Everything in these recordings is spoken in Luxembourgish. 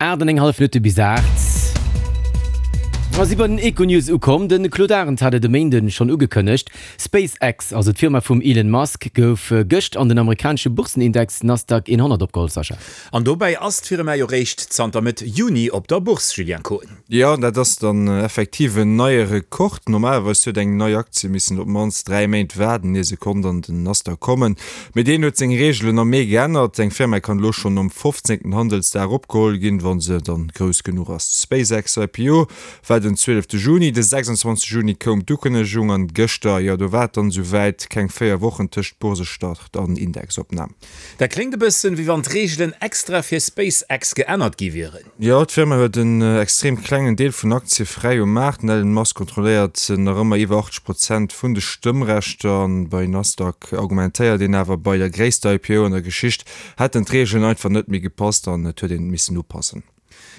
8 an eng hallef Minutte bis 8. A si bei den Econews ukomm. De Claude Arend hat et e Méinden schonn ugekënnegt, SpaceX, also d'Firma vum Elon Musk, gouf gëscht an den amerikanesche Boursenindex Nasdaq 100 opgeholl. Sascha. An dobäi ass d'Firma jo réischt zanter Mëtt Juni op der Bourse, Julien Koen. Jo, dat ass dann effektiv en neie Rekord. Normalerweis huet eng nei Aktie missen op d'mannst 3 Méint waarden, ier se konnt an den Nasdaq kommen. Mee deen huet seng Reegelen am Mee geännert. Eng Firma kann elo schonn nom 15. Handelsdag opgeholl ginn, wa se dann grouss genuch ass. D'SpaceX IPO war den 12 Juni, de 26 Juni koum d'Ukënnegung an gëschter, jo do war et dann esou wäit, keng 4 Wochen tëscht Boursestart an Indexopnam. Dat kléngt e bëssen, wéi wann d'Reegelen extra fir SpaceX geännert gi wieren. Jo, d'Firma huet en extrem klengen Deel vun Aktie fräi um Maart. Den Elon Musk kontrolléiert nach ëmmer iwwer 80 Prozent vun de Stëmmrechter. An bei Nasdaq argumentéiert een awer, bei der gréisster IPO an der Geschicht hätten d'Reegelen einfach net méi gepasst an et huet een missen upassen.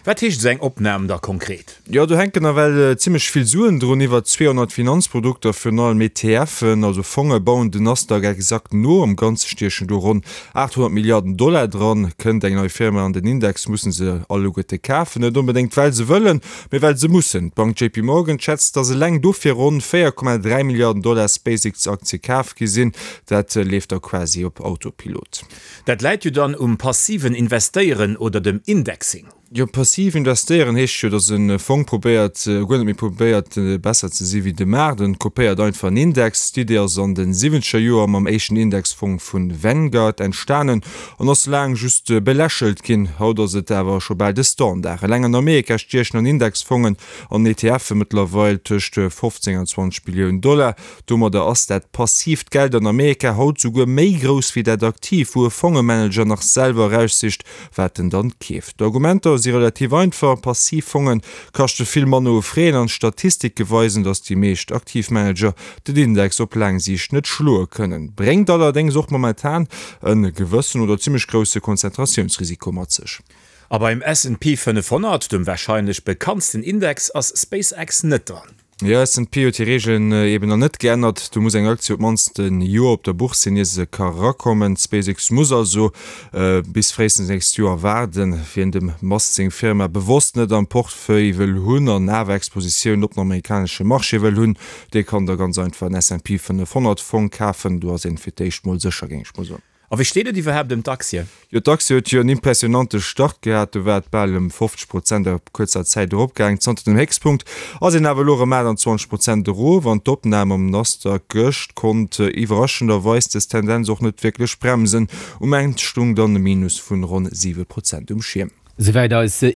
Wat heescht esou eng Opnam da konkret? Jo, do hänken nawell zimmlech vill Suen drun. Iwwer 200 Finanzprodukter, virun allem ETFen, also Fonge, bauen den Nasdaq exakt no. Am Ganze stiechen do ronn 800 Milliarden Dollar dran. Kënnt eng nei Firma an den Index, musse se alleguerte kafen. Net onbedéngt well se wëllen, mee well se mussen. D'Bank JP Morgan schätzt, datt eleng dofir ronn 4,3 Milliarden Dollar SpaceX-Aktie kaf gi sinn. Dat leeft da quasi op Autopilot. Dat läit jo dann um passiven Investéieren oder dem Indexing. Jo, passiv investéieren heescht jo, datt e Fong probéiert, guer net méi probéiert besser ze si wéi de Maart, en kopéiert einfach en Index. D'Idee ass an de siwwenzeger Joer mam éischten Indexfong vu Vanguard entstanen an ass laang just belächelt ginn. Haut ass et awer scho bal de Standard. Eleng an Amerika stiechen an Indexfongen an ETFe mëttlerweil tëscht 15 an 20 Billiounen Dollar. Domadder ass dat passiivt Geld an Amerika haut souguer méi grouss wéi dat aktiivt, wou e Fongemanager nach selwer eraussicht, wat en dann keeft. D'Argumenter si relativ einfach, Passiv Fonge kaschte vill manner u Fräen an d'Statistike weisen, datt déi meescht aktiv Manager den Index op laang Siicht net schloe kënnen. Bréngt allerdéngs och momentan e gewëssen oder zimmlech grousse Konzentratiounsrisiko mat sech. A beim S&P 500, dem warscheinlech bekanntsten Index, ass SpaceX net dran. Jo, S&P huet hir Reegelen eben nach net geännert. Do muss eng Aktie op d'mannst e Joer op der Bourse sinn, ier se ka erakommen. SpaceX muss also bis fréistens nächst Joer waarden. Wien dem Musk seng Firma bewosst net am Portefeuille wëll hunn an awer Expositioun op den amerikanesche Marché wëll hunn, dee kann da ganz einfach en S&P 500 Fong kafen. Do ass een fir d'éischt mol sécher, géing ech mol soen. A wéi steet et iwwerhaapt ëm d'Aktie? Jo, d'Aktie huet jo en impressionante Start gehat. Do war et bal ëm 50 Prozent a kuerzer Zäit eropgaang. Zanter dem Héchstpunkt ass een awer elo erëm 28 Prozent erof an d'Opnam am Nasdaq gëscht konnt iwwerraschenderweis dës Tendenz och net wierklech bremsen. Um Enn stung dann e Minus vun ronn 7 Prozent um Schierm. Souwäit eis.